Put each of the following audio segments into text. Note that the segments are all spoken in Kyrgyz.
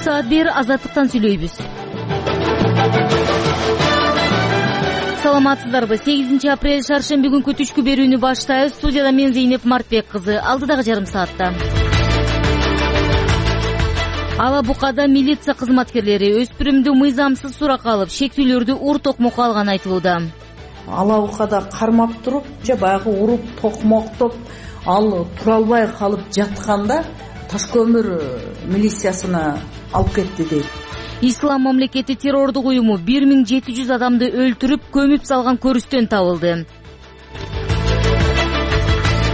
саат бир Азаттыктан сүйлөйбүз. Саламатсыздарбы? 8 апрель шаршемби күнкү түшкү берүүнү баштайбыз. Студияда мен Зейнеп Мартбек кызы. Алдыдагы жарым саатта Ала Букада милиция кызматкерлери өспүрүмдү мыйзамсыз суракка алып, шектүүлөрдү ур-токмокко алганы айтылууда. Ала Букада кармап туруп, баягы уруп токмоктоп, ал тура албай калып жатканда Таш көмүр милициясына алып кетти дейт. Ислам мамлекети террордук уюму 1700 адамды өлтүрүп, көмүп салган көрүстөн табылды.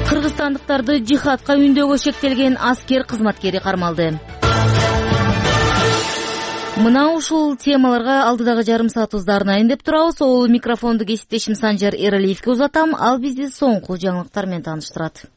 Кыргызстандыктарды жихадка үндөөгө шектелген аскер кызматкери кармалды. Мына ушул темаларга алдыдагы жарым саатыбызда арнайын деп турабыз. Ол микрофонду кесиптешим Санжар Эралиевге узатам. Ал бизди соңку жаңылыктар менен тааныштырат.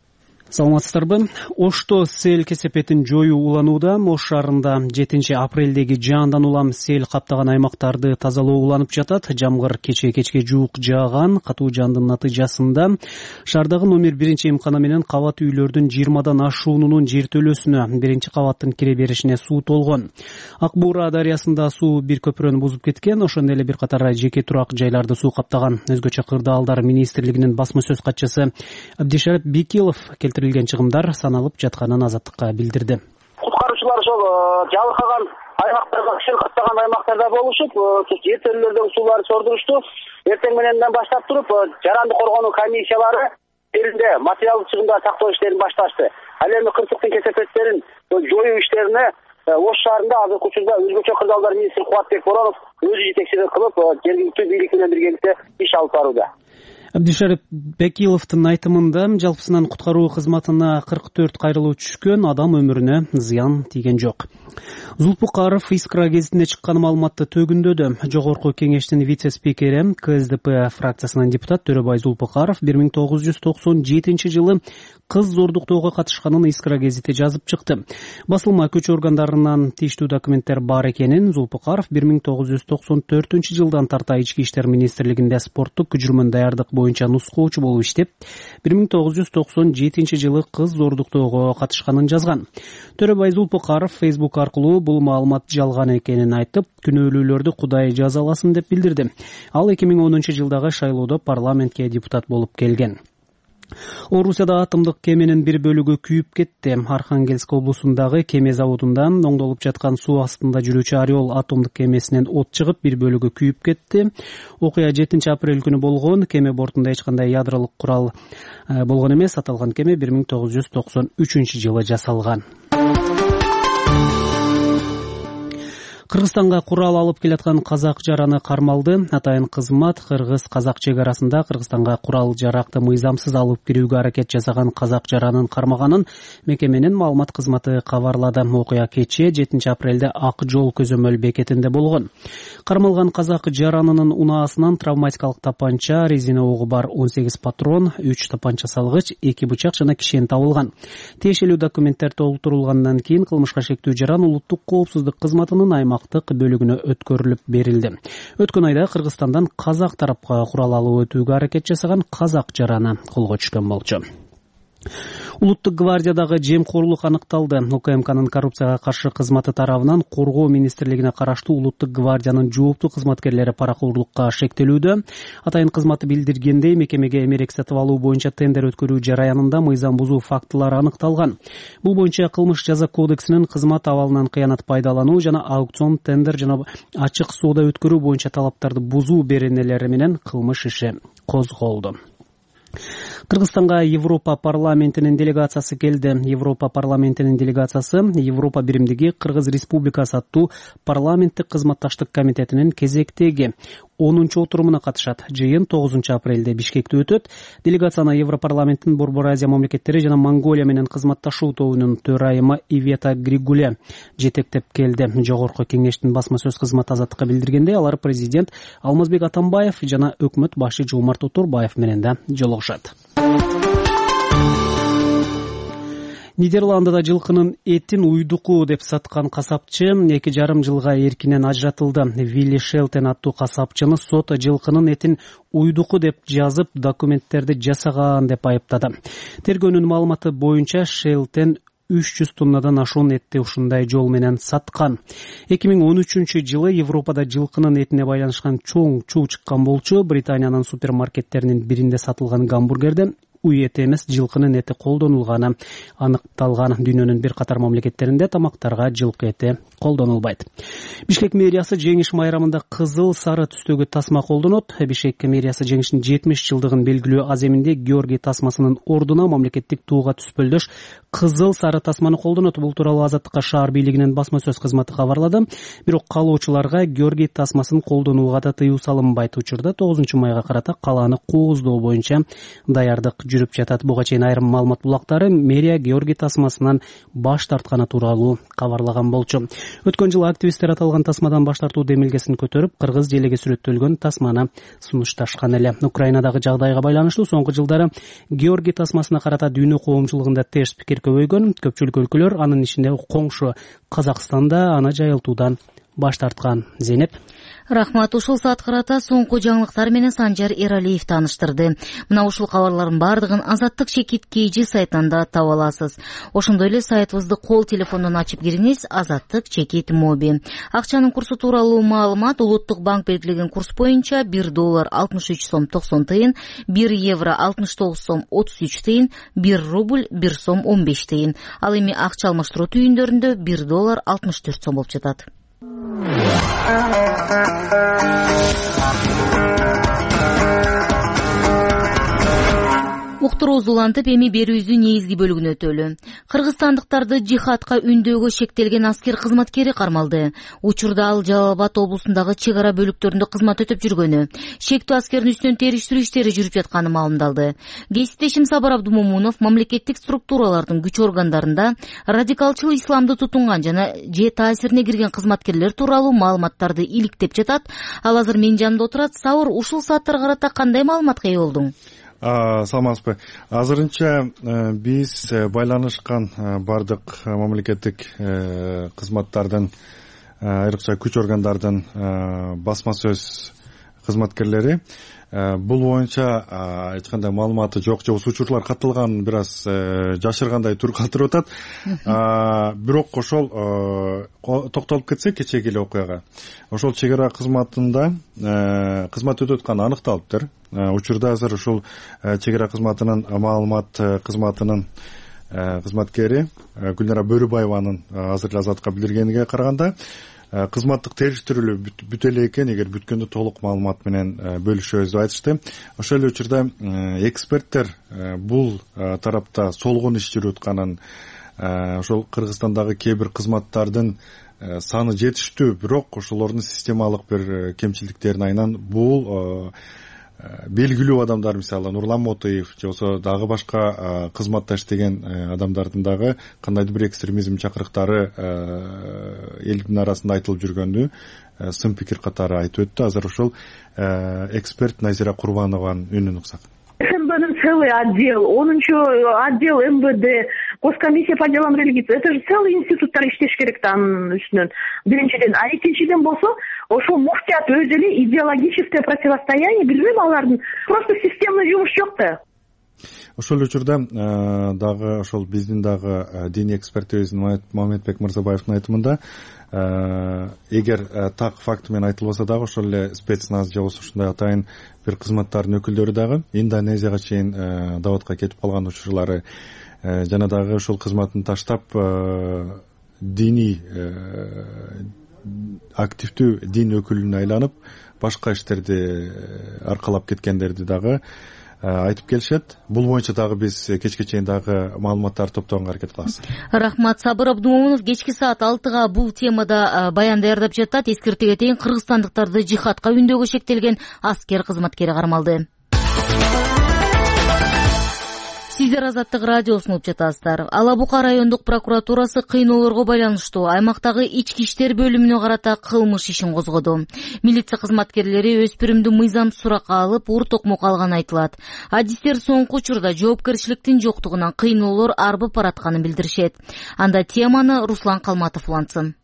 Саламатсыздарбы? Ошто сел кесепетин жоюу уланууда. Ош шаарында 7 апрелдеги жаандан улам сел каптаган аймактарды тазалоо уланып жатат. Жамгыр кечке жуук жааган. Катуу жаандын натыйжасында шаардагы номер 1 эмкана менен кабат үйлөрдүн 20дан ашуунунун жертөлөсүнө, 1-кабаттын кире беришине суу толгон. Ак Буура дарыясында суу бир көпүрөнү бузуп кеткен. Ошондой эле бир катар жеке турак жайларды суу каптаган. Өзгөчө кырдаалдар министрлигинин басма сөз катчысы Абдишарип Бекилов чыгымдар саналып жатканын Азаттыкка билдирди. Куткаруучулар ошол жабыркаган аймактарга, сел каптаган аймактарда болушуп, жертөлөлөрдөгү сууларды сордурушту. Эртең мененден баштап туруп, жаранды коргонуу комиссиялары жеринде материалдык чыгымдар сактоо иштерин башташты. Ал эми кырсыктын кесепеттерин жоюу иштерине Ош шаарында азыркы учурда өзгөчө кырдаалдар министри Кубатбек Боронов өзү жетекчилик кылып, жергиликтүү бийлик менен биргеликте иш алып барууда. Абдишарип Бекиловдун айтымында жалпысынан куткаруу кызматына 44 кайрылуу түшкөн, адам өмүрүнө зыян тийген жок. Зулпукаров Искра гезитине чыккан маалыматты төгүндөдү. Жогорку кеңештин вице-спикери, КСДП фракциясынын депутат Төрөбай Зулпукаров 1997 жылы кыз зордуктоого катышканын Искра гезити жазып чыкты. Басылма күч органдарынан тийиштүү документтер бар экенин Зулпукаров 1994 жылдан тарта Ички иштер министрлигинде спорттук күчүрмөн даярдык боюнча нускоочу болуп иштеп, 1997 жылы кыз зордуктоого катышканын жазган. Төрөбай Зулпукаров Facebook аркылуу бул маалымат жалган экенин айтып, күнөөлүүлөрдү Кудай жазаласын деп билдирди. Ал 2010 жылдагы шайлоодо парламентке депутат болуп келген. Орусияда атомдук кеменин бир бөлүгү күйүп кетти. Архангельск облусундагы кеме заводундан оңдолуп жаткан суу астында жүрүүчү Орел атомдук кемесинен от чыгып, бир бөлүгү күйүп кетти. Окуя 7 апрель күнү болгон. Кеме бортунда эч кандай ядролук курал болгон эмес. Аталган кеме 1993 жылы жасалган. Кыргызстанга курал алып келаткан казак жараны кармалды. Атайын кызмат кыргыз-казак чек арасында Кыргызстанга курал жаракты мыйзамсыз алып кирүүгө аракет жасаган казак жаранын кармаганын мекеменин маалымат кызматы кабарлады. Окуя кечээ 7 апрелде Ак жол көзөмөл бекетинде болгон. Кармалган казак жаранынын унаасынан травматикалык тапанча, резина огу бар 18 патрон, 3 тапанча салгыч, 2 бычак жана кишен табылган. Тиешелүү документтер толтурулгандан кийин кылмышка шектүү жаран улуттук коопсуздук кызматынын бөлүгүнө өткөрүлүп берилди. Өткөн айда Кыргызстандан казак тарапка курал алып өтүүгө аракет жасаган казак жараны колго түшкөн болчу. Улуттук гвардиядагы жемкорлук аныкталды. УКМКнын коррупцияга каршы кызматы тарабынан Коргоо министрлигине караштуу Улуттук гвардиянын жооптуу кызматкерлери паракурдукка шектелүүдө. Атайын кызматы билдиргендей, мекемеге эмерек сатып алуу боюнча тендер өткөрүү жараянында мыйзам бузуу фактылары аныкталган. Бул боюнча кылмыш жаза кодексинин кызмат абалынан кыянат пайдалануу жана аукцион, тендер жана ачык соода өткөрүү боюнча талаптарды бузуу беренелери менен кылмыш иши козголду. Кыргызстанга Европа парламентинин делегациясы келди. Европа парламентинин делегациясы Европа биримдиги Кыргыз Республикасы аттуу парламенттик кызматташтык комитетинин кезектеги 10-чу отурумуна катышат. Жыйын 9 апрелде Бишкекте өтөт. Делегацияны Европарламенттин Борбор Азия мамлекеттери жана Монголия менен кызматташуу тобунун төрайымы Ивета Григуле жетектеп келди. Жогорку кеңештин басма сөз кызматы Азаттыкка билдиргендей, алар президент Алмазбек Атамбаев жана өкмөт башы Жомарт Оторбаев менен да жолугушат. Нидерландыда жылкынын этин уйдуку деп саткан касапчы 2,5 жылга эркинен ажыратылды. Вилли Шелтен аттуу касапчыны сот жылкынын этин уйдуку деп жазып, документтерди жасаган деп айыптады. Тергөөнүн маалыматы боюнча Шелтен 300 тоннадан ашуун этти ушундай жол менен саткан. 2013-жылы Европада жылкынын этине байланышкан чоң чуу чыккан болчу. Британиянын супермаркеттеринин биринде сатылган гамбургерден уй эти эмес жылкынын эти колдонулганы аныкталган. Дүйнөнүн бир катар мамлекеттеринде тамактарга жылкы эти колдонулбайт. Бишкек мэриясы жеңиш майрамында кызыл сары түстөгү тасма колдонот. Бишкек мэриясы жеңиштин 70 жылдыгын белгилөө аземинде Георгий тасмасынын ордуна мамлекеттик туга түспөлдөш кызыл сары тасманы колдонот. Бул тууралуу Азаттыкка шаар бийлигинин басма сөз кызматы кабарлады. Бирок каалоочуларга Георгий тасмасын колдонууга да тыюу салынбайт. Учурда 9-майга карата калааны кооздоо боюнча даярдык жүрүп жатат. Буга чейин айрым маалымат булактары мэрия Георгий тасмасынан баш тартканы тууралуу кабарлаган болчу. Өткөн жылы активисттер аталган тасмадан баш тартуу демилгесин көтөрүп, кыргыз желеги сүрөттөлгөн тасманы сунушташкан эле. Украинадагы жагдайга байланыштуу соңку жылдары Георгий тасмасына карата дүйнө коомчулугунда терс пикир көбөйгөн. Көпчүлүк өлкөлөр, анын ичинде коңшу Казакстанда аны жайылтуудан баш тарткан. Зейнеп. Рахмат. Ушул саат карата соңку жаңылыктар менен Санжар Эралиев тааныштырды. Мына ушул кабарлардын бардыгын Азаттык Чекит KG сайтында таба аласыз. Ошондой эле сайтыбызды кол телефондон ачып кириңиз. Азаттык Чекит Моби. Акчанын курсу тууралуу маалымат Улуттук банк белгилеген курс боюнча $1 63 сом 90 тыйын, €1 69 сом 33 тыйын, 1 рубль 1 сом 15 тыйын. Ал эми акча алмаштыруу түйүндөрүндө $1 64 сом болуп жатат. Уктурууз улантып, эми берүүбүздүн негизги бөлүгүнө өтөлү. Кыргызстандыктарды жихадка үндөөгө шектелген аскер кызматкери кармалды. Учурда ал Жалал Абад облусундагы чек ара бөлүктөрүндө кызмат өтөп жүргөнү. Шектүү аскердин үстүнөн териштирүү иштери жүрүп жатканы маалымдалды. Кесиптешим Сабыр Абдумомунов мамлекеттик структуралардын күч органдарында радикалчыл исламды тутунган жана же таасирине кирген кызматкерлер тууралуу маалыматтарды иликтеп жатат. Ал азыр менин жанымда отурат. Сабыр, ушул сааттарга карата кандай маалыматка ээ болдуң? Саламатсызбы. Азырынча биз байланышкан бардык мамлекеттик кызматтардын, айрыкча күч органдардын басма сөз кызматкерлери бул боюнча эч кандай маалыматы жок же учурлар катталганын бир аз жашыргандай тур калтырып атат. Бирок ошол токтолуп кетсек кечеги эле окуяга. Ошол чек ара кызматында кызмат өтүп атканы аныкталыптыр. Учурда азыр ушул чек ара кызматынын маалымат кызматынын кызматкери Гүлнара Бөрүбаеванын азыр эле Азаттыкка билдиргениге караганда кызматтык териштирүү бүтө эле экен, эгер бүткөндө толук маалымат менен бөлүшөбүз деп айтышты. Ошол эле учурда эксперттер бул тарапта солгон иш жүрүп атканын, ошол Кыргызстандагы кээ бир кызматтардын саны жетиштүү, бирок ошолордун системалык бир кемчиликтерин айынан бул белгилүү адамдар, мисалы Нурлан Мотоев же болсо дагы башка кызматта иштеген адамдардын дагы кандайдыр бир экстремизм чакырыктары элдин арасында айтылып жүргөндү сын пикир катары айтып өттү. Азыр ошол эксперт Назира Курбанованын үнүн уксак. МБнын целый отдел, 10-нчу отдел МВД, Госкомиссия по делам религии. Это же целый институттар иштеш керек да анын үстүнөн. Биринчиден, а экинчиден болсо, ошол муфтият өзү эле идеологическое противостояние, билбейм, алардын просто системный жумуш жок да. Ошол учурда дагы ошол биздин дагы диний экспертибиздин Мамедбек Мырзабаевдин айтымында эгер так факт менен айтылбаса дагы ошол эле спецназ же болбосо ушундай атайын бир кызматтардын өкүлдөрү дагы Индонезияга чейин даватка кетип калган учурлары жана дагы ошол кызматын таштап диний активдүү дин өкүлүнө айланып башка иштерди аркалап кеткендерди дагы айтып келишет. Бул боюнча дагы биз кечке чейин дагы маалыматтарды топтогонго аракет кылабыз. Рахмат. Сабыр Абдумомунов кечки саат 6-га бул темада баян даярдап жатат. Эскерте кетейин, кыргызстандыктарды жихадка үндөөгө шектелген аскер кызматкери кармалды. Сиздер Азаттык радиосун угуп жатасыздар. Ала Бука райондук прокуратурасы кыйноолорго байланыштуу аймактагы ички иштер бөлүмүнө карата кылмыш ишин козгоду. Милиция кызматкерлери өспүрүмдү мыйзамсыз суракка алып, ур токмок алганы айтылат. Адистер соңку учурда жоопкерчиликтин жоктугунан кыйноолор арбып баратканын билдиришет. Анда теманы Руслан Калматов улантсын.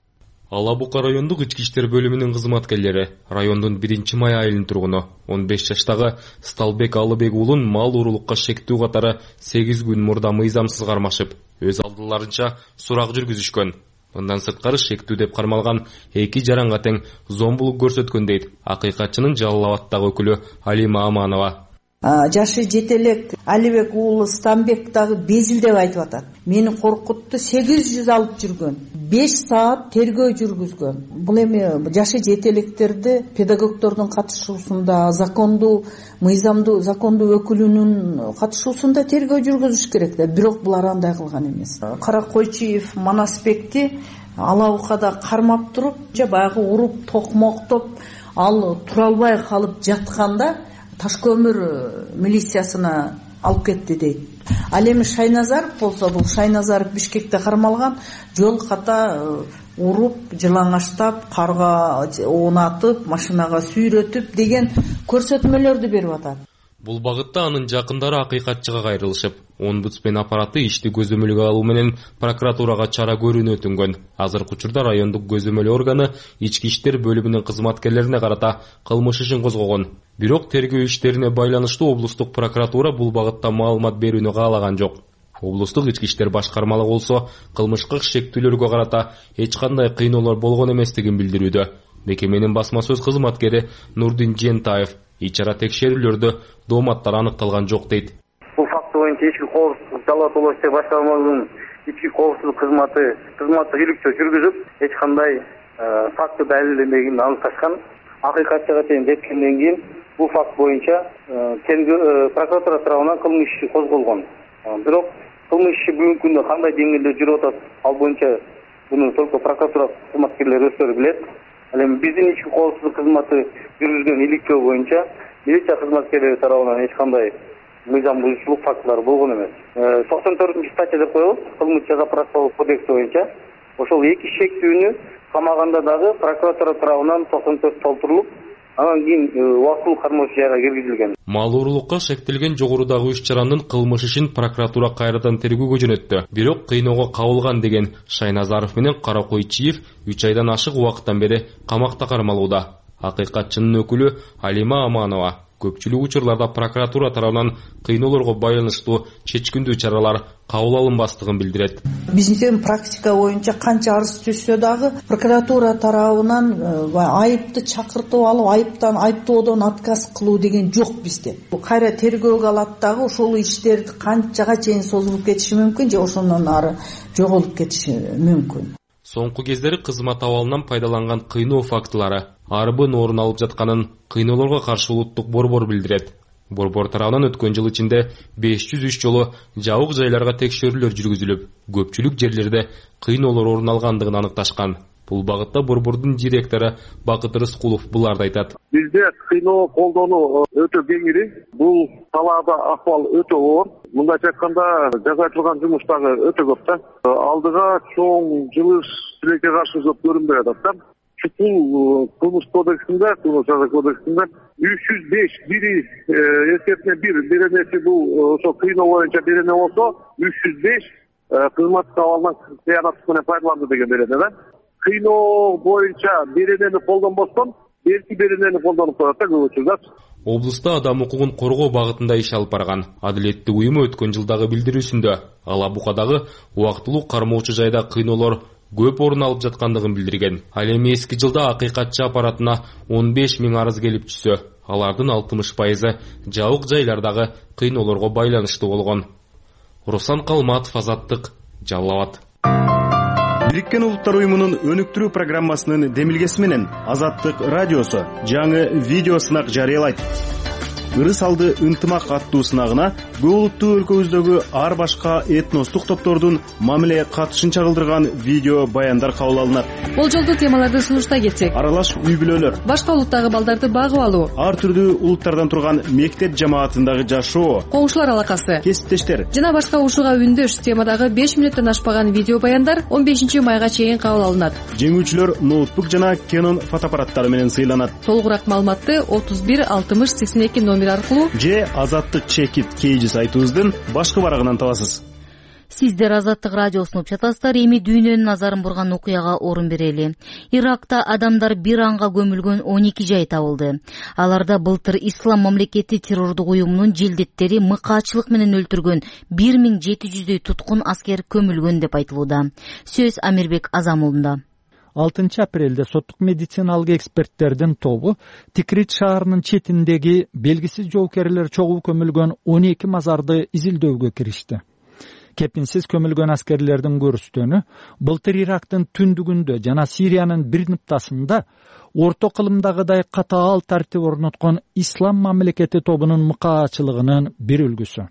Ала Бука райондук ички иштер бөлүмүнүн кызматкерлери райондун 1-май айылынын тургуну 15 жаштагы Сталбек Алыбек уулун мал уурулукка шектүү катары 8 күн мурда мыйзамсыз кармашып, өз алдыларынча сурак жүргүзүшкөн. Мындан сырткары шектүү деп кармалган 2 жаранга тең зомбулук көрсөткөн дейт акыйкатчынын Жалал Абаддагы өкүлү Алима Аманова. Жашы жете элек Алибек уулу Станбек дагы безил деп айтып атат. Мени коркутту, 800 алып жүргөн, 5 саат тергөө жүргүзгөн. Бул эми жашы жете электерди педагогдордун катышуусунда, мыйзамдуу закондуу өкүлүнүн катышуусунда тергөө жүргүзүш керек да, бирок булар андай кылган эмес. Каракойчиев Манасбекти алабукада кармап туруп, баягы уруп, токмоктоп, ал тура албай калып жатканда Ташкөмүр милициясына алып кетти дейт. Ал эми Шайназаров болсо, бул Шайназаров Бишкекте кармалган, жол ката уруп, жылаңаштап, карга оонатып, машинага сүйрөтүп деген көрсөтмөлөрдү берип атат. Бул багытта анын жакындары акыйкатчыга кайрылышып, омбудсмен аппараты ишти көзөмөлгө алуу менен прокуратурага чара көрүүнү өтүнгөн. Азыркы учурда райондук көзөмөл органы ички иштер бөлүмүнүн кызматкерлерине карата кылмыш ишин козгогон. Бирок тергөө иштерине байланыштуу облустук прокуратура бул багытта маалымат берүүнү каалаган жок. Облустук ички иштер башкармалыгы болсо кылмышка шектүүлөргө карата эч кандай кыйноолор болгон эместигин билдирүүдө. Мекеменин басма сөз кызматкери Нурдин Жентаев ичара текшерүүлөрдө дооматтар аныкталган жок дейт. Бул факт боюнча ички коопсуздук Жалал Абад облустук башкармалыгынын ички коопсуздук кызматы иликтөө жүргүзүп, эч кандай факты далилденбегенин аныкташкан. Акыйкатчыга чейин жеткенден кийин бул факт боюнча прокуратура тарабынан кылмыш иши козголгон. Бирок кылмыш иши бүгүнкү күндө кандай деңгээлде жүрүп атат, ал боюнча буну только прокуратура кызматкерлери өздөрү билет. Ал эми биздин ички коопсуздук кызматы жүргүзгөн иликтөө боюнча милиция кызматкерлери тарабынан эч кандай мыйзам бузуучулук фактылары болгон эмес. 94-статья деп коебуз кылмыш жаза-процессуалдык кодекси боюнча. Ошол 2 шектүүнү камаганда дагы прокуратура тарабынан 94 толтурулуп, анан кийин убактылуу кармоо жайга киргизилген. Мал уурулукка шектелген жогорудагы 3 жарандын кылмыш ишин прокуратура кайрадан тергөөгө жөнөттү. Бирок кыйноого кабылган деген Шайназаров менен Каракойчиев 3 айдан ашык убакыттан бери камакта кармалууда. Акыйкатчынын өкүлү Алима Аманова көпчүлүк учурларда прокуратура тарабынан кыйноолорго байланыштуу чечкиндүү чаралар кабыл алынбастыгын билдирет. Биздин практика боюнча канча арыз түшсө дагы прокуратура тарабынан айыпты чакыртып алып, айыптоодон отказ кылуу деген жок бизде. Кайра тергөөгө алат дагы ошол иштерди канчага чейин созулуп кетиши мүмкүн же ошондон ары жоголуп кетиши мүмкүн. Соңку кездери кызмат абалынан пайдаланган кыйноо фактылары арбын орун алып жатканын кыйноолорго каршы улуттук борбор билдирет. Борбор тарабынан өткөн жыл ичинде 503 жолу жабык жайларга текшерүүлөр жүргүзүлүп, көпчүлүк жерлерде кыйноолор орун алгандыгын аныкташкан. Бул багытта борбордун директору Бакыт Рыскулов буларды айтат. Бизде кыйноо колдонуу өтө кеңири. Бул салаада акыбал өтө оор. Мындайча айтканда жасалган жумуш дагы өтө көп да. Алдыга чоң жылыш тилекке каршы көп көрүнбөй атат да. Чукул кылмыш кодексинде, кылмыш жаза кодексинде 305 бири эсептене беренеси бул ошо кыйноо боюнча берене болсо 305 кызматка абалынан кыянаттык менен пайдаланды деген берене да. Кыйноо боюнча беренени колдонбостон берки беренени колдонуп коет да көп учурда. Облуста адам укугун коргоо багытында иш алып барган Адилеттик уюму өткөн жылдагы билдирүүсүндө Алабукадагы убактылуу кармоочу жайда кыйноолор көп орун алып жаткандыгын билдирген. Ал эми эски жылда акыйкатчы аппаратына 15 000 арыз келип түшсө, алардын 60% жабык жайлардагы кыйноолорго байланыштуу болгон. Руслан Калматов, Азаттык, Жалал Абад. Бириккен Улуттар уюмунун өнүктүрүү программасынын демилгеси менен Азаттык радиосу жаңы видео сынак жарыялайт. Ырыс алды ынтымак аттуу сынагына көп улуттуу өлкөбүздөгү ар башка этностук топтордун мамиле катышын чагылдырган видео баяндар кабыл алынат. Болжолдуу темаларды сунуштай кетсек: аралаш үй бүлөлөр, башка улуттагы балдарды багып алуу, ар түрдүү улуттардан турган мектеп жамаатындагы жашоо, коңшулар алакасы, кесиптештер жана башка ушуга үндөш темадагы 5 мүнөттөн ашпаган видео баяндар 15 майга чейин кабыл алынат. Жеңүүчүлөр ноутбук жана Canon фотоаппараттары менен сыйланат. Толугураак маалыматты 31 60 82 номер аркылуу же Азаттык чекит KG сайтыбыздын башкы барагынан табасыз. Сиздер Азаттык радиосун угуп жатасыздар. Эми дүйнөнүн назарын бурган окуяга орун берели. Иракта адамдар бир анга көмүлгөн 12 жай табылды. Аларда былтыр Ислам мамлекети террордук уюмунун жилдеттери мыкаачылык менен өлтүргөн 1700дөй туткун аскер көмүлгөн деп айтылууда. Сөз Амирбек Азамулунда. 6 апрелде соттук медициналык эксперттердин тобу Тикрит шаарынын четиндеги белгисиз жоокерлер чогуу көмүлгөн 12 мазарды изилдөөгө киришти. Кепинсиз көмүлгөн аскерлердин көрүстөнү былтыр Ирактын түндүгүндө жана Сириянын бир ныктасында орто кылымдагыдай катаал тартип орноткон Ислам мамлекети тобунун мыкаачылыгынын бир үлгүсү.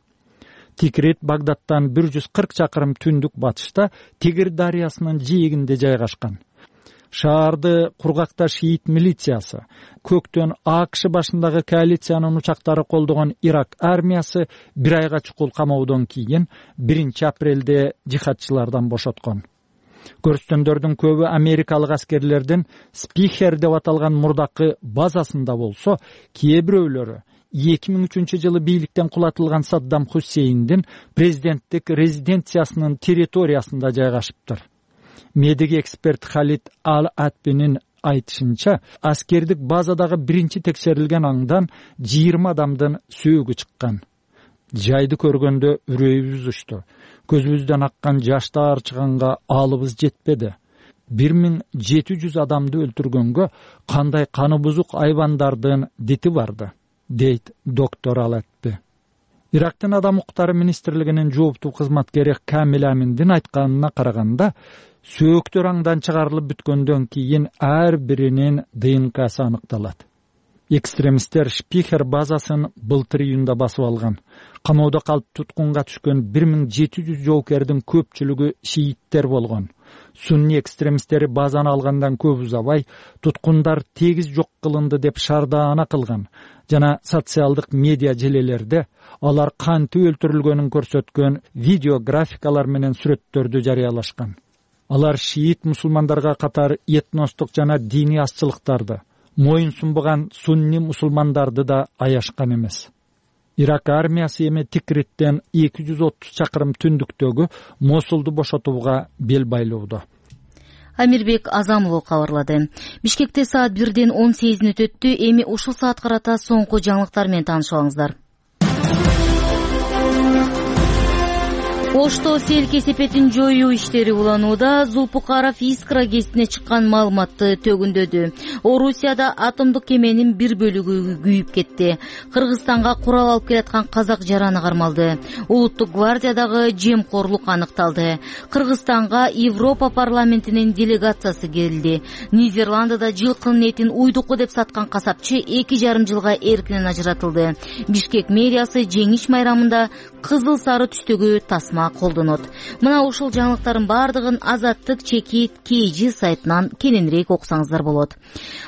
Тикрит Багдадтан 140 чакырым түндүк батышта Тигр дарыясынын жээгинде жайгашкан. Шаарды кургакта шиит милициясы, көктөн АКШ башындагы коалициянын учактары колдогон Ирак армиясы бир айга чукул камоодон кийин 1 апрелде жихадчылардан бошоткон. Көрүстөндөрдүн көбү америкалык аскерлердин Спихер деп аталган мурдакы базасында болсо, кээ бирөөлөрү 2003 жылы бийликтен кулатылган Саддам Хусейндин президенттик резиденциясынын территориясында жайгашыптыр. Медик эксперт Халид Ал-Атбинин айтышынча, аскердик базадагы биринчи текшерилген аңдан 20 адамдын сөөгү чыккан. Жайды көргөндө үрөйүбүз учту. Көзүбүздөн аккан жаштар чыганга алыбыз жетпеди. 1700 адамды өлтүргөнгө кандай каны бузук айбандардын дити барды, дейт доктор Ал-Атби. Ирактын адам укуктары министрлигинин жооптуу кызматкери Камил Аминдин айтканына караганда, сөөктөр аңдан чыгарылып бүткөндөн кийин ар биринин ДНКсы аныкталат. Экстремисттер Спихер базасын былтыр июнда басып алган. Камоодо калып туткунга түшкөн 1700 жоокердин көпчүлүгү шииттер болгон. Сунни экстремисттери базаны алгандан көп узабай туткундар тегиз жок кылынды деп шардаана кылган жана социалдык медиа желелерде алар кантип өлтүрүлгөнүн көрсөткөн видео графикалар менен сүрөттөрдү жарыялашкан. Алар шиит мусулмандарга катар этностук жана диний азчылыктарды, моюн сунбаган сунни мусулмандарды да аяшкан эмес. Ирак армиясы эми Тикриттен 230 чакырым түндүктөгү Мосулду бошотууга бел байлоодо. Амирбек Азамулов кабарлады. Бишкекте саат 1-ден 18 өтөттү. Эми ушул саат карата соңку жаңылыктар менен таанышып алыңыздар. Ошто сел кесепетин жоюу иштери уланууда. Зулпукаров Искра ГЭСине чыккан маалыматты төгүндөдү. Орусияда атомдук кеменин бир бөлүгү күйүп кетти. Кыргызстанга курал алып келаткан казак жараны кармалды. Улуттук гвардиядагы жемкорлук аныкталды. Кыргызстанга Европа парламентинин делегациясы келди. Нидерландыда жылкынын этин уйдуку деп саткан касапчы 2,5 жылга эркинен ажыратылды. Бишкек мэриясы жеңиш майрамында кызыл сары түстөгү тасма колдонот. Мына ушул жаңылыктардын бардыгын Азаттык чекит KG сайтынан кененирээк окусаңыздар болот.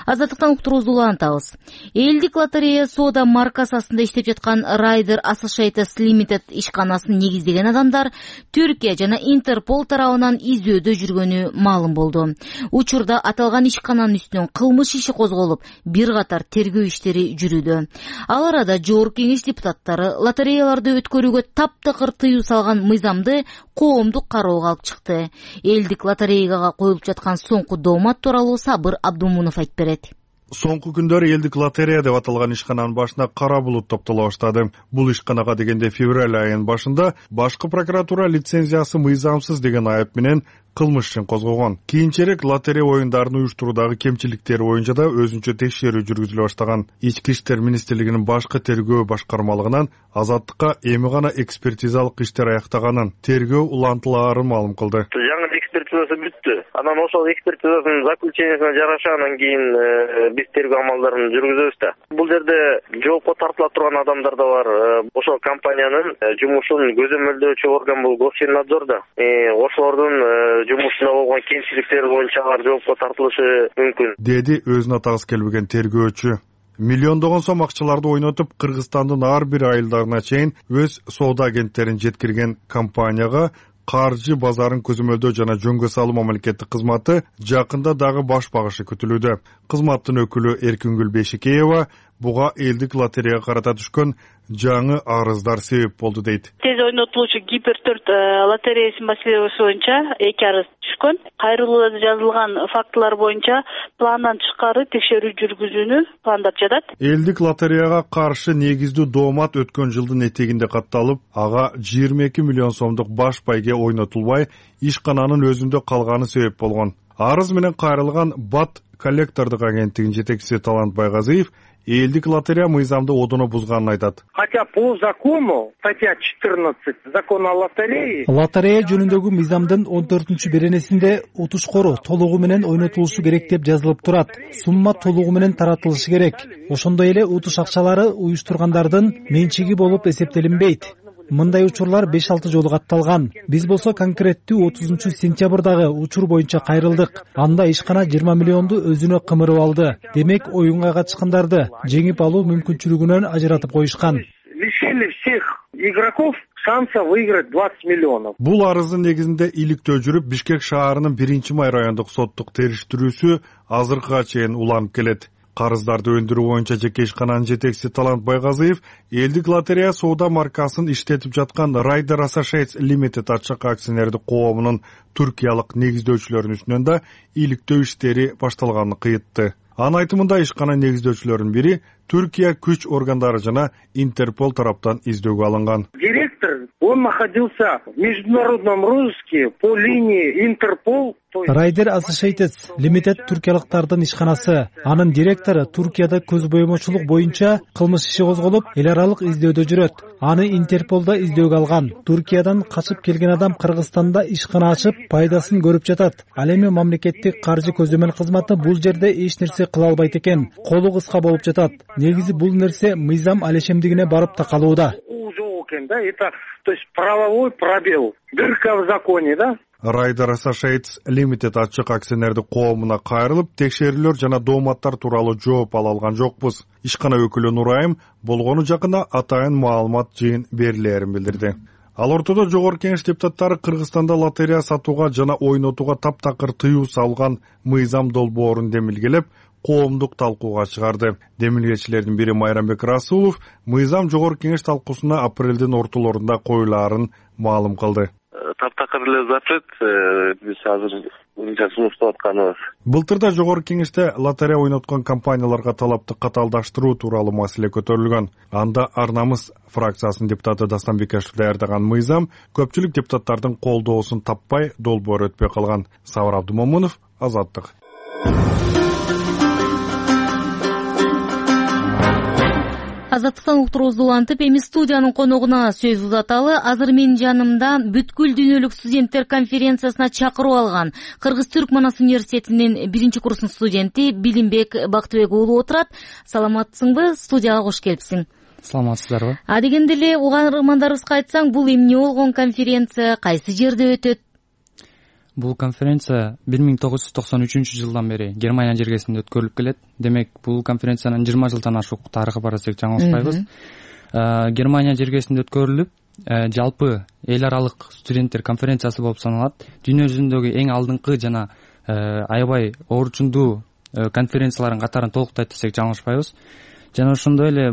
Азаттыктан уктуруубузду улантабыз. Элдик лотерея соода маркасында иштеп жаткан Rider Associates Limited ишканасын негиздеген адамдар Түркия жана Интерпол тарабынан изөөдө жүргөнү маалым болду. Учурда аталган ишкананын үстүнөн кылмыш иши козголуп, бир катар тергөө иштери жүрүүдө. Ал арада Жогорку Кеңеш депутаттары лотереяларды өткөрүүгө таптакыр тыюу салган мыйзамды коомдук кароого алып чыкты. Элдик лотереяга коюлуп жаткан соңку доомат тууралуу Сабыр Абдумунов айтып берет. Соңку күндөр элдик лотерея деп аталган ишкананын башына кара булут топтоло баштады. Бул ишканага дегенде февраль айынын башында башкы прокуратура лицензиясы мыйзамсыз деген айып менен кылмыш ишин козгогон. Кийинчерээк лотерея оюндарын уюштуруудагы кемчиликтери боюнча да өзүнчө текшерүү жүргүзүлө баштаган. Ички иштер министрлигинин башкы тергөө башкармалыгынан Азаттыкка эми гана экспертизалык иштер аяктаганын, тергөө улантылаарын маалым кылды. Жаңы экспертизасы бүттү. Анан ошол экспертизанын заключениясына жараша анан кийин биз тергөө амалдарын жүргүзөбүз да. Бул жерде жоопко тартыла турган адамдар да бар. Ошол компаниянын жумушун көзөмөлдөөчү орган бул Госфиннадзор да. Ошолордун жумушунда болгон кемчиликтер боюнча алар жоопко тартылышы мүмкүн, деди өзүнө тагыс келбеген тергөөчү. Миллиондогон сом акчаларды ойнотуп, Кыргызстандын ар бир айылдарына чейин өз соода агенттерин жеткирген компанияга каржы базарын көзөмөлдөө жана жөнгө салуу мамлекеттик кызматы жакында дагы баш багышы күтүлүүдө. Кызматтын өкүлү Эркингүл Бейшикеева буга элдик лотереяга карата түшкөн жаңы арыздар себеп болду дейт. Тез ойнотулуучу Гипер 4 лотереясы маселеси боюнча 2 арыз түшкөн. Кайрылууда жазылган фактылар боюнча пландан тышкары текшерүү жүргүзүүнү пландап жатат. Элдик лотереяга каршы негиздүү доомат өткөн жылдын этегинде катталып, ага 22 миллион сомдук баш байге ойнотулбай, ишкананын өзүндө калганы себеп болгон. Арыз менен кайрылган БАТ коллектордук агенттигинин жетекчиси Талант Байгазиев элдик лотерея мыйзамды одоно бузганын айтат. Хотя по закону, статья 14 закона о лотерее, лотерея жөнүндөгү мыйзамдын 14-беренесинде утушкору толугу менен ойнотулушу керек деп жазылып турат. Сумма толугу менен таратылышы керек. Ошондой эле утуш акчалары уюштургандардын менчиги болуп эсептелинбейт. Мындай учурлар 5-6 жолу катталган. Биз болсо конкреттүү 30-сентябрдагы учур боюнча кайрылдык. Анда ишкана 20 миллионду өзүнө кымырып алды. Демек, оюнга катышкандарды жеңип алуу мүмкүнчүлүгүнөн ажыратып коюшкан. Лишили всех игроков шанса выиграть 20 миллионов. Бул арыздын негизинде иликтөө жүрүп, Бишкек шаарынын 1-май райондук соттук териштирүүсү азыркыга чейин уланып келет. Карыздарды өндүрүү боюнча жеке ишкананын жетекчиси Талант Байгазиев элдик лотерея соода маркасын иштетип жаткан Rider Associates Limited ачык акционердик коомунун түркиялык негиздөөчүлөрүнүн үстүнөн да иликтөө иштери башталганын кыйтты. Анын айтымында ишкана негиздөөчүлөрүнүн бири Түркия күч органдары жана Интерпол тараптан издөөгө алынган. Директор, он находился в международном розыске по линии Интерпол. Rider Associates Limited түркиялыктардын ишканасы. Анын директору Туркияда көз боемочулук боюнча кылмыш иши козголуп, эл аралык издөдө жүрөт. Аны Интерполда издөөгө алган. Туркиядан качып келген адам Кыргызстанда ишкана ачып, пайдасын көрүп жатат. Ал эми мамлекеттик каржы көзөмөл кызматы бул жерде эч нерсе кыла албайт экен. Колу кыска болуп жатат. Негизи бул нерсе мыйзам алешемдигине барып такалууда. Это, то есть правовой пробел, дырка в законе, да? Rider Associates Limited ачык акционердик коомуна кайрылып, текшерүүлөр жана дооматтар тууралуу жооп ала алган жокпуз. Ишкана өкүлү Нурайым болгону жакында атайын маалымат жыйын берилээрин билдирди. Ал ортодо жогорку кеңеш депутаттары Кыргызстанда лотерея сатууга жана ойнотууга таптакыр тыюу салган мыйзам долбоорун демилгелеп, коомдук талкууга чыгарды. Демилгечилердин бири Майрамбек Расулов мыйзам жогорку кеңеш талкуусуна апрелдин ортолорунда коюлаарын маалым кылды. Таптакыр эле запрет биз азыр сунуштап атканыбыз. Былтырда жогорку кеңеште лотерея ойноткон компанияларга талапты каталдаштыруу тууралуу маселе көтөрүлгөн. Анда Ар Намыс фракциясынын депутаты Дастан Бекешев даярдаган мыйзам көпчүлүк депутаттардын колдоосун таппай долбоор өтпөй калган. Сабыр Абдумомунов, Азаттык. Азаттыктан уктуруубузду улантып, эми студиянын коногуна сөз узаталы. Азыр менин жанымда бүткүл дүйнөлүк студенттер конференциясына чакыруу алган Кыргыз-Түрк Манас университетинин 1-курсунун студенти Билимбек Бактыбек уулу отурат. Саламатсыңбы? Студияга кош келипсиң. Саламатсыздарбы? Дегенде эле угармандарыбызга айтсаң, бул эмне болгон конференция, кайсы жерде өтөт? Бул конференция 1993-жылдан бери Германия жергесинде өткөрүлүп келет. Демек, бул конференциянын 20 жылдан ашык тарыхы бар десек жаңылышпайбыз. Германия жергесинде өткөрүлүп, жалпы эл аралык студенттер конференциясы болуп саналат. Дүйнө жүзүндөгү эң алдыңкы жана аябай орчундуу конференциялардын катарын толуктайт десек жаңылышпайбыз. Жана ошондой эле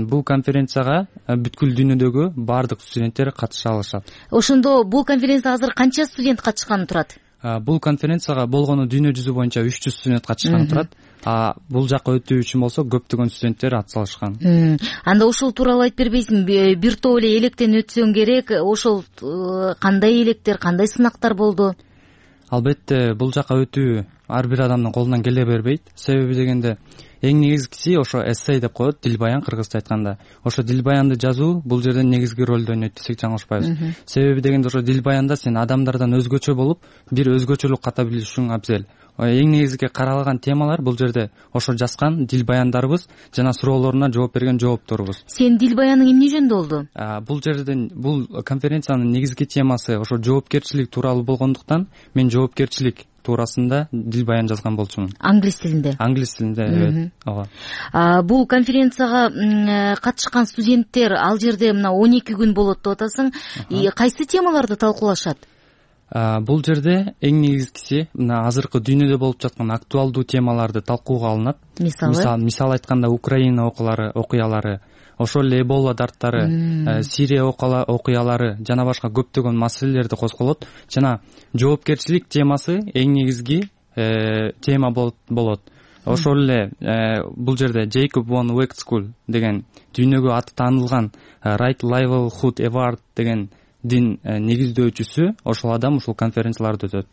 бул конференцияга бүткүл дүйнөдөгү баардык студенттер катыша алышат. Ошондо бул конференцияга азыр канча студент катышканы турат? Бул конференцияга болгону дүйнө жүзү боюнча 300 студент катышканы турат. Бул жакка өтүү үчүн болсо көптөгөн студенттер атсалышкан. Анда ошол тууралуу айтып бербейсиңби? Бир топ эле электен өтсөң керек. Ошол кандай электер, кандай сынактар болду? Албетте, бул жакка өтүү ар бир адамдын колунан келе бербейт. Себеби дегенде эң негизгиси ошо эссей деп коет, дил баян кыргызча айтканда. Ошо дил баянды жазуу бул жерде негизги ролду ойнойт десек жаңылышпайбыз. Себеби дегенде ошо дил баянда сен адамдардан өзгөчө болуп, бир өзгөчөлүк ката билишиң абзел. Эң негизги каралган темалар бул жерде ошо жазган дил баяндарыбыз жана суроолоруна жооп берген жоопторубуз. Сен дил баяның эмне жөнүндө болду? Бул жерден бул конференциянын негизги темасы ошо жоопкерчилик тууралуу болгондуктан мен жоопкерчилик туурасында дил баян жазган болчумун. Англис тилинде? Англис тилинде, evet. Ооба. Бул конференцияга катышкан студенттер ал жерде мына 12 күн болот деп атасың. Кайсы темаларды талкуулашат? Бул жерде эң негизгиси мына азыркы дүйнөдө болуп жаткан актуалдуу темаларды талкууга алынат. Мисалы айтканда Украина окуялары, ошол эле Эбола дарттары, Сирия окуялары жана башка көптөгөн маселелерди козголот жана жоопкерчилик темасы эң негизги тема болот. Ошол эле бул жерде Jacob von Wexkull деген дүйнөгө аты таанылган Right Livelihood Award деген дин негиздөөчүсү ошол адам ушул конференцияларды өтөт.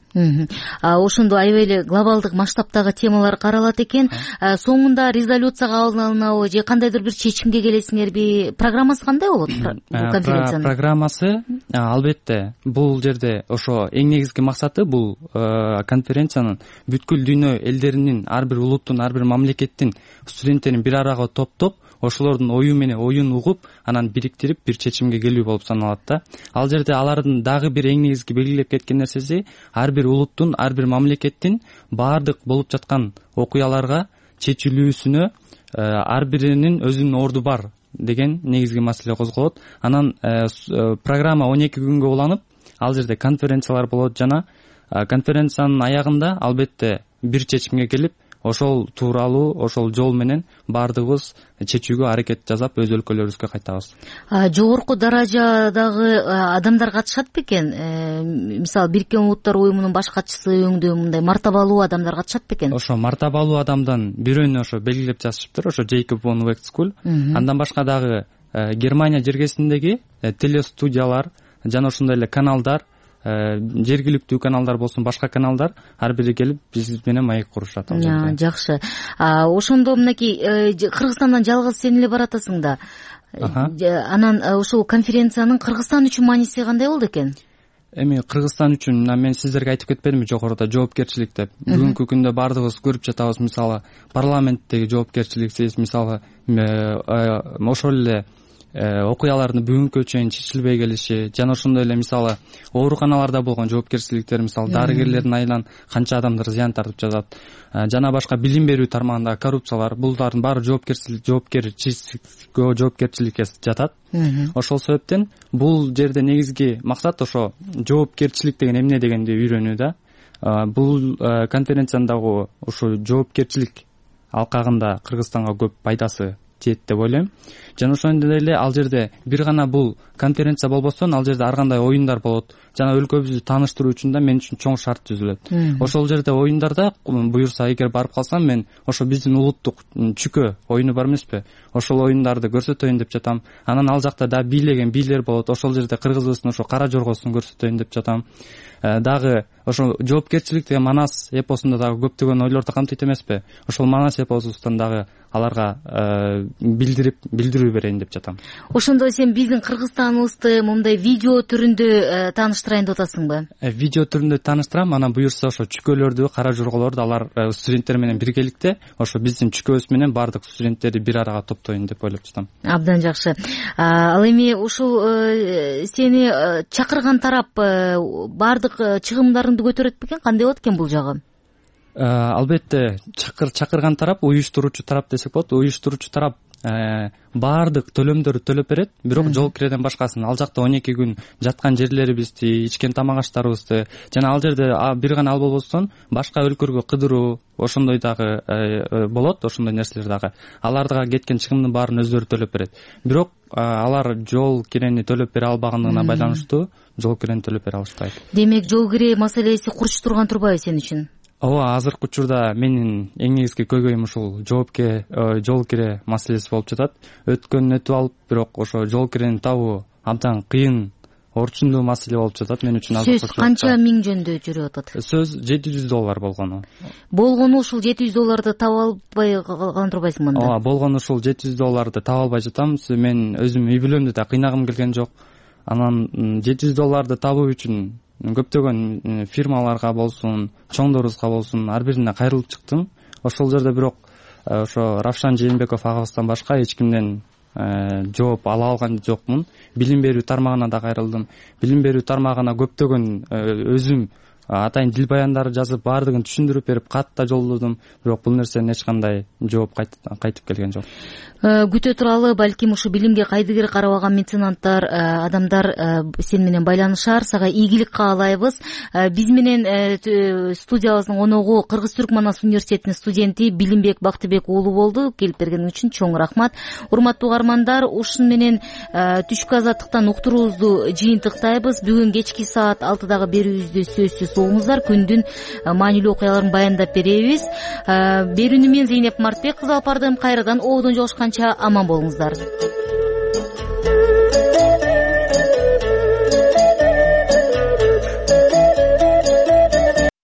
Ошондо аябай эле глобалдык масштабтагы темалар каралат экен. Соңунда резолюцияга алынабы же кандайдыр бир чечимге келесиңерби? Программасы кандай болот бул конференциянын? Программасы албетте бул жерде ошо эң негизги максаты бул конференциянын бүткүл дүйнө элдеринин, ар бир улуттун, ар бир мамлекеттин студенттерин бир арага топтоп, ошолордун оюн угуп, анан бириктирип бир чечимге келүү болуп саналат да. Ал жерде алардын дагы бир эң негизги белгилеп кеткен нерсеси ар бир улуттун, ар бир мамлекеттин баардык болуп жаткан окуяларга чечилүүсүнө ар биринин өзүнүн орду бар деген негизги маселе козголот. Анан программа 12 күнгө уланып, ал жерде конференциялар болот жана конференциянын аягында албетте бир чечимге келип, ошол тууралуу, ошол жол менен баардыгыбыз чечүүгө аракет жасап, өз өлкөлөрүбүзгө кайтабыз. Жогорку даражадагы адамдар катышат бекен? Мисалы, Бириккен Улуттар уюмунун баш катчысы өңдө мындай мартабалуу адамдар катышат бекен? Ошо мартабалуу адамдан бирөөнү ошо белгилеп жазышыптыр, ошо Jacob von Wexkull. Андан башка дагы Германия жергесиндеги телестудиялар жана ошондой эле каналдар, жергиликтүү каналдар болсун, башка каналдар ар бири келип биз менен маек курушат. Жакшы. Ошондо мынакей Кыргызстандан жалгыз сен эле баратасың да. Анан ушул конференциянын Кыргызстан үчүн мааниси кандай болду экен? Эми Кыргызстан үчүн мен сиздерге айтып кетпедимби жогоруда жоопкерчилик деп. Бүгүнкү күндө баардыгыбыз көрүп жатабыз, мисалы парламенттеги жоопкерчиликсиз, мисалы ошол эле окуялардын бүгүнкү чейин чечилбей келиши жана ошондой эле мисалы ооруканаларда болгон жоопкерчиликтер, мисалы дарыгерлердин айынан канча адамдар зыян тартып жатат, жана башка билим берүү тармагындагы коррупциялар, булардын баары жоопкерчиликке жатат. Ошол себептен бул жерде негизги максат ошо жоопкерчилик деген эмне дегенди үйрөнүү да. Бул конференциянын дагы ошо жоопкерчилик алкагында Кыргызстанга көп пайдасы тиет деп ойлойм. Жана ошондой эле ал жерде бир гана бул конференция болбостон, ал жерде ар кандай оюндар болот. Жана өлкөбүздү тааныштыруу үчүн да мен үчүн чоң шарт түзүлөт. Ошол жерде оюндарда буюрса эгер барып калсам, мен ошо биздин улуттук чүкө оюну бар эмеспи? Ошол оюндарды көрсөтөйүн деп жатам. Анан ал жакта да бийлеген бийлер болот. Ошол жерде кыргызыбыздын ошо кара жоргосун көрсөтөйүн деп жатам. Дагы ошо жоопкерчилик деген Манас эпосунда дагы көптөгөн ойлорду камтыйт эмеспи? Ошол Манас эпосунан дагы аларга билдирүү берейин деп жатам. Ошондо сен биздин Кыргызстаныбызды мындай видео түрүндө тааныштырайын деп атасыңбы? Видео түрүндө тааныштырам. Анан буюрса ошо чүкөлөрдү, кара жорголорду алар студенттер менен биргеликте ошо биздин чүкөбүз менен баардык студенттерди бир арага топтоюн деп ойлоп жатам. Абдан жакшы. Ал эми ушул сени чакырган тарап баардык чыгымдарыңды көтөрөт бекен? Кандай болот экен бул жагы? Албетте чакырган тарап, уюштуруучу тарап десек болот. Уюштуруучу тарап баардык төлөмдөрдү төлөп берет, бирок жол киреден башкасын. Ал жакта 12 күн жаткан жерлерибизди, ичкен тамак аштарыбызды жана ал жерде бир гана ал болбостон башка өлкөгө кыдыруу, ошондой дагы болот, ошондой нерселер дагы. Аларга кеткен чыгымдын баарын өздөрү төлөп берет. Бирок алар жол кирени төлөп бере албагандыгына байланыштуу жол кирени төлөп бере алышпайт. Демек, жол кире маселеси курчтурган турбайбы сен үчүн? Ооба, азыркы учурда менин эң негизги көйгөйүм ушул жол кире маселеси болуп жатат. Өткөнүн өтүп алып, бирок ошо жол кирени табуу абдан кыйын, орчундуу маселе болуп жатат мен үчүн. Сөз канча миң жөндө жүрүп атат? Сөз $700 болгону. Болгону ушул $700 таба албай калган турбайсың мында? Ооба, болгону ушул $700 таба албай жатам. Мен өзүм үй бүлөмдү да кыйнагым келген жок. Анан $700 табуу үчүн көптөгөн фирмаларга болсун, чоңдорубузга болсун, ар бирине кайрылып чыктым. Ошол жерде бирок ошо Равшан Жээнбеков агабыздан башка эч кимден жооп ала алган жокмун. Билим берүү тармагына да кайрылдым. Билим берүү тармагына көптөгөн өзүм атайын дил баяндары жазып баардыгын түшүндүрүп берип кат да жолдодум, бирок бул нерседен эч кандай жооп кайтып келген жок. Күтө туралы балким ушу билимге кайдыгер карабаган меценаттар, адамдар сен менен байланышар, сага ийгилик каалайбыз. Биз менен студиябыздын коногу Кыргыз Түрк Манас университетинин студенти Билимбек Бактыбек уулу болду. Келип бергениң үчүн чоң рахмат. Урматтуу угармандар, ушун менен түшкү азаттыктан уктуруубузду жыйынтыктайбыз. Бүгүн кечки саат 6дагы берүүбүздү сөзсүз угуңуздар. Күндүн маанилүү окуяларын баяндап беребиз. Берүүнү мен Зейнеп Мартбек кызы алып бардым. Кайрадан ободон жолушканча аман болуңуздар.